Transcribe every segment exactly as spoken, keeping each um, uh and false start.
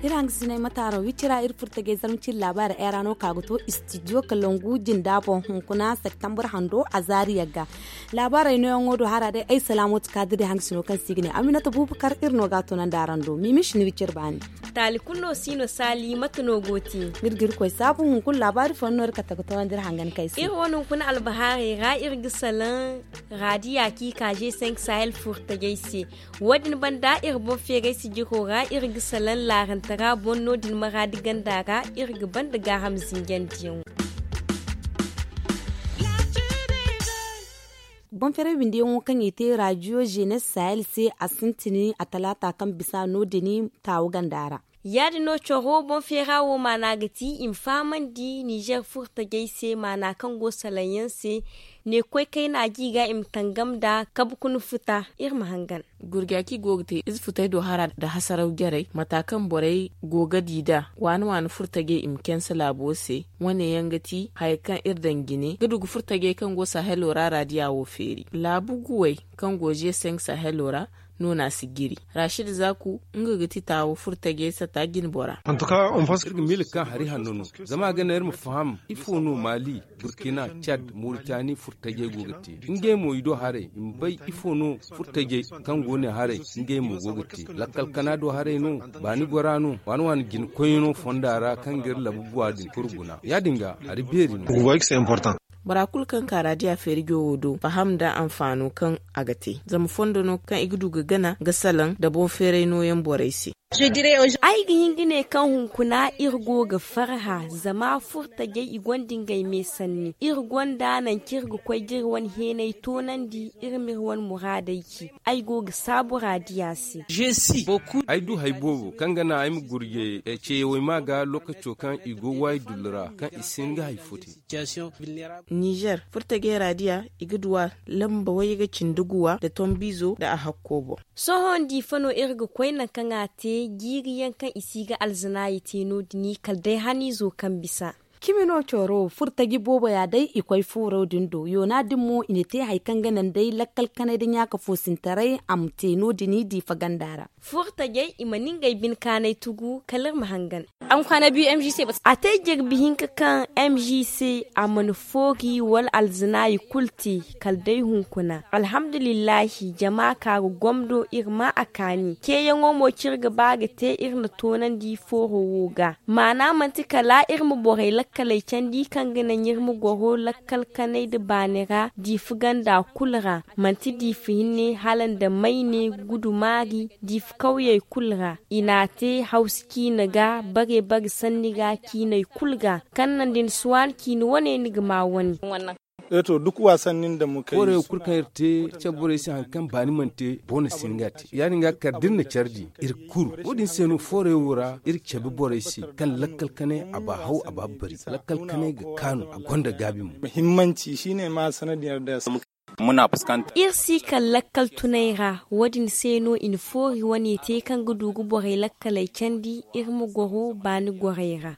Iri hangasinay mataaro wicira iri furtajey zarma ciri laabaari ay ra no ka ga to istidiyo kalangu jinda boŋ hunkuna septembre hando a zaari yagga. Laabaarey nooyaŋo do hara day ay salaamatu kaadiri hangasino kaŋ se i ga ne aminata bubakar iri no ga a toonandi araŋ do miimis ni wiciri baani. Taali kulu no si no saali mate no go te? Iri ga iri koy saabu hunkuna laabaari fooyaŋ no iri kate ga toonandi iri hangan kay se. Iri wane hunkuna albahaarey ra iri ga salaŋ raadiya kaŋ i ka g cinq sahel furtajey se. Wo- din banda iri boŋ feeray sijiro ra iri ga salaŋ laarantara boŋ no- din maraadi ganda ra iri ga banda gaaham zinjandiyaŋo. Boŋ feeray windiyaŋo kaŋ i te raadiyo jenes sahel se a sintin a talaata kaŋ bisa no- din taawu ganda ra. Ya- din no coro boŋ feera wo maana ga ti i ma fahamandi nizer furtajey se maana kaŋ go salaŋ yaŋ se. Ne koy kayna gi ga i ma tangam nda kabe kuna futa. Iri ma hangan. Gurjaki go ga te ize futay do hara nda hasaraw jarey mata kaŋ borey go ga di nd'a waani waani furtajey i ma kense laabo se. Wane yaŋ ga ti haya kaŋ iri daŋ jine ga du ga furtajey kaŋ go sahelo ra raadiya wo feeri laabu guwey kaŋ go g cinq sahelo ra. No no a si jiri rashid zaku nga ga ti taawo furtajey sata jinbora. Iri ga miila kaŋ hari hanno no zama a ga naŋ iri ma faham ifo no maali, burkina, cad, moritani furtajey go ga te. Ngey mo i do haray i ma bay ifo no furtajey kaŋ go ne haray. Ngey mo go ga te lakkal kana do haray no, baani gora no, waani waani jina koyno fonda ra kaŋ ga iri labu guwa din kulu guna ya- din ga hari beeri no. Bora kulu kaŋ ka raadiya feeri jowo do faham nda anfaano kaŋ a ga te zama fondo no kaŋ i ga du ga gana ga salaŋ nda boŋ feeray nooyaŋ borey se. Ay ga hin ga ne kaŋ hunkuna iri go ga farha zama furtajey i gonda ngey me sanni iri gonda nangu kaŋ iri ga koy ga iri wane heenay toonandi iri ma iri wane muraadey ci. Ay go ga saabu raadiya se. Ay du hari boobo kaŋ ga naŋ ay ma gurje ceeyawey ma ga lookaco kaŋ i go waayi dullu ra kaŋ i si hin ga hari fo te. Nizer furtajey raadiya i ga duw'a lamba wayye ga cindi guwa nda tombiizo nda a hakko boŋ. Sohõ diifa no iri ga koy nangu kaŋ a te jiiri yaŋ kaŋ i si ga alzanaayi te no- din kala day haniizo kaŋ bisa. Cimi no coro furtaji boobo ya day i koy fuuro din do yoona din mo i na te hari kaŋ ga naŋ day lakkal kanay nda ɲaaka foosintaray a ma te no- din diifa ganda ra. Furtajey i mana ngey bine kaanay tugu kala iri ma hangan. A te jirbi hinka kaŋ m g c a mana foori wala alzanaayi kulu te kala day hunkuna alhamdulillahi jama ka ga gomdo iri ma a kaani ceeyaŋo mo kaŋ iri ga ba ga te iri na toonandi fooro wo ga maana manti kala iri ma borey lakkaley candi kaŋ ga naŋ iri ma goro lakkal kanay nda baani ra diifa ganda kulu ra. Manti diifa hinne hala nda mayne gudumaari diifa kawyey kulu ra i n'a te hawsa ciine ga bare bare sanni ga ciiney kulu ga kaŋ naŋ da ni si waani ciine wane ni ga ma wane. Foorey wo kulu kaŋ iri te care borey se hari kaŋ baani mana te boro na si hin ga a te ya- din ga kala da iri na care di iri kuru wo- din se no foorey wo ra iri cabe borey se kaŋ lakkal kanay a ba haw a ba bari lakkal kanay ga kaanu a gonda gaabi mo. Iri si kala lakkal tunay ra wo- din se no i na foori wane te kaŋ ga du ga borey lakkaley candi iri ma goro baani gorey ra.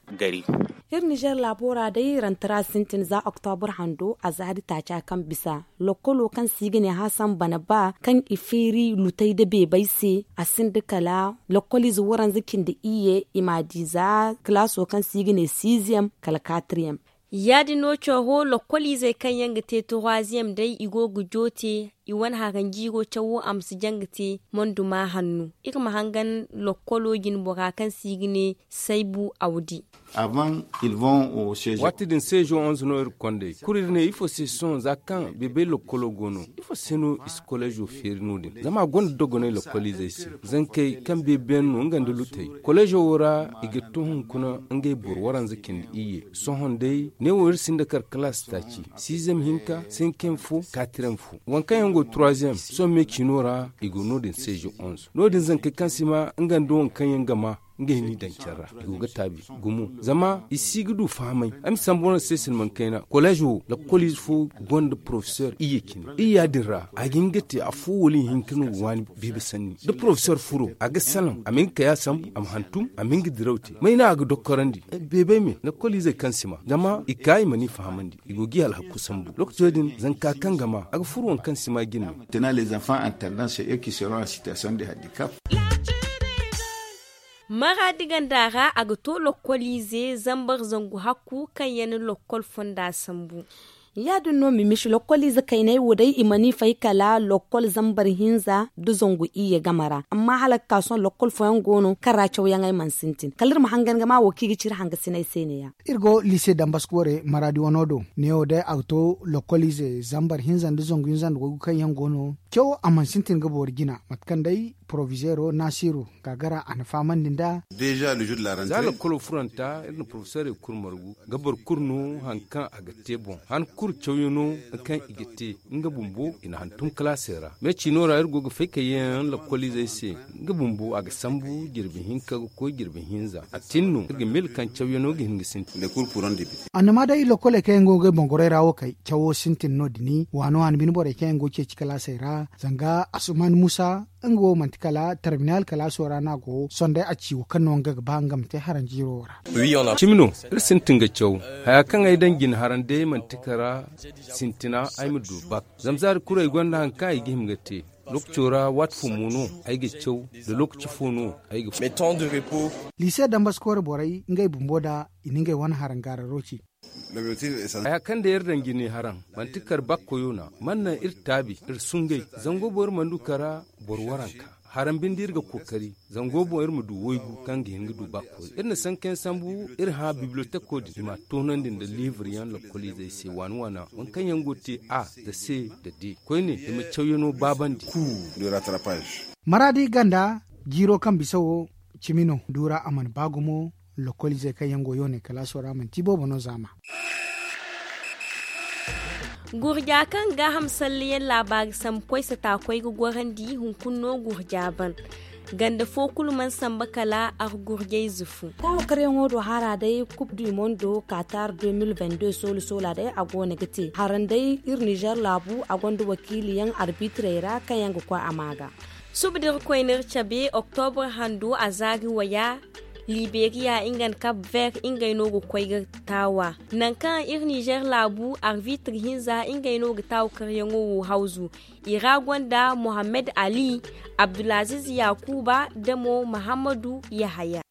Iri nizer laabo ra day rantara sintin za oktobur hando a zaari taaca kaŋ bisa lokkolo kaŋ se i ga ne hasan bana ba kaŋ i feeri lutay nda beebay se a sinda kala lokkoliize waranza cindi iyye i m'a di za kalaaso kaŋ se i ga ne siiziyem kala kaatiriyem. Ya- din no coro lokkoliizey kaŋ yaŋ ga te turuwaziyem day i go ga joote i wane haranjiiro cawo a ma si jaŋ ga te monduma hanno iri ma hangan lokkolo jinbora kaŋ se i ga ne saybu awdi. Waati din seezo onze no iri ga konda i kulu iri ne ifo se sohõ za kaŋ beebay lokkolo go no ifo se no i si koleezo feeri no- din zama a gonda dogonay lokkoliizey se. Zankey kaŋ beebeyaŋ no nga nda lutey koleezo wo ra i ga to hunkuna ngey boro waranza cindi iyye. Sohõ day neewo iri sinda kar kalaasi taaci siizem hinka sinkem fo kaatirem fo waŋ kaŋ yaŋ go turuwaziyem sohõ me ciino ra i go no- din seezo onze no- din zankey kaŋ si ma nga nda waŋ kaŋ yaŋ ga ma. ngey n'i daŋ care ra. I go ga taabi gumo zama i si ga du fahamay. Ay ma sambu wane se silman kayna kolleez wo lakkoliize fo gonda porofesor iyye cine iyya din ra a ga hin ga te afo wala ihinka no ga waani beebe sanni da porofesor furo a ga salaŋ a ma hin ga kay a sambu a ma hantum a ma hin ga diraw te may no a ga dokkorandi. Beebey me lakkoliizey kaŋ si ma zama i ka i ma ni fahamandi i go ga i alhaku sambu lokaco din zanka kaŋ ga ma a ga furo waŋ kaŋ si ma jine. Maraadi ganda ra a ga to lokkoliize zambar zangu hakku kaŋ yaŋ na lokkol fonda sambu. Ya- din no mimisi lokkoliize kayney wo day i mana i fay kala lokkol zambar hinza nda zangu iyye game ra amma hala ga ka sohõ lokkol fooyaŋ go no kaŋ ra cawyaŋey mana sintin kala iri ma hangan ga ma wo kaŋ i ga ci iri hangasiney se ne- ya. Iri go liise dambaska ware maraadi wano do neewo day a ga to lokkoliize zambar hinza nda zangu hinza nda waygu kaŋ yaŋ go no cawo a mana sintin ga boori jina mate kaŋ day porovizeero naasiru gaagara a na fahamandi nd'a. Za lakkolo furanta iri na porofesorey kulu margu ga boro kulu no hari kaŋ a ga te boŋ han kulu cawyaŋo kaŋ i ga te nga bumbo i na hantum kalaasey ra me ciino ra iri go ga fay ka yeeyaŋ lakkoliizey se nga bumbo a ga sambu jirbi hinka ga koy jirbi hinza a tin no iri ga mil kaŋ cawyaŋo ga hin ga sintin. Annama day lokkoley kaŋ yaŋ go ga ngey boŋ gorey ra wo kay cawo sintin no- din waano waani bine borey kaŋ yaŋ go ga ceeci kalaasey ra zanga asuman musa nga wo manti kala tarminal kalaaso ra no a go sonday a ci wo kaŋ no nga ga ba nga ma te haranjiiro wo ra. Cimi no iri sintin ga caw haya kaŋ ay daŋ jine haran day manti kara sintina ay ma du bak zama zaari kulu ay gonda hari kaŋ ay ga hima ga te. Lookaco ra waati fo mo no ay ga caw da lookaci fo no ay ga. Liise dambaskoore borey ngey bumbo nda i na ngey wane harangaararo ci. Haya kaŋ day iri daŋ jine haraŋ manti kar bakkoyo na man naŋ iri taabi iri sungay zango boŋ iri mana du kara boro waranka haraŋ binde iri ga kookari zango boŋ iri ma du waygu kaŋ ga hin ga du bakkoyo iri na sankayaŋ sambu iri hã bibliyoteko din i m'a toonandi nda liiburyaŋ lokoliizey se waani waana waŋ kaŋ yaŋ go ga te a nda se nda de koyne i ma cawyaŋo baabandi. Maraadi ganda jiiro kaŋ bisa wo cimi no duura a mana ba gumo. Lokoliizey kaŋ yaŋ go yoone kalaaso ra manti boobo no zaama. Gurja kaŋ gaaham salleyaŋ laabaari sambu koy sata koy ga gorandi hunkuna no gurja ban ganda fo kulu mana samba kala argurjayze fo. Taawakaryaŋo do hara day kub du mondo katar deux mille vingt-deux soola soola day a go no ga te haraŋ day iri nizer laabu a gonda wakiiliyaŋ arbitrey ra kaŋ yaŋ ga koy a ma ga. Suba da iri koyne iri cabe oktobra hando a zaari waya liberiya nga nda kab ver ngey no ga koy ga taawa. Nangu kaŋ iri nizer laabu arbitri hinza ngey no ga taawakaryaŋo wo hawzu. I ra gonda mohammed ali, abdulaziz yakuba nda mo mahammadu yahaya.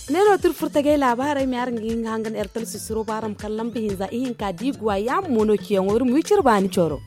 Ne no tira furtagay laabaarey ma yaŋ araŋ ga hin ga hangan ertel sisiro ba araŋ ma kala lamba hinza ihinka da i guwa yaŋ mo no ciyaŋo iri ma wi cire baani coro.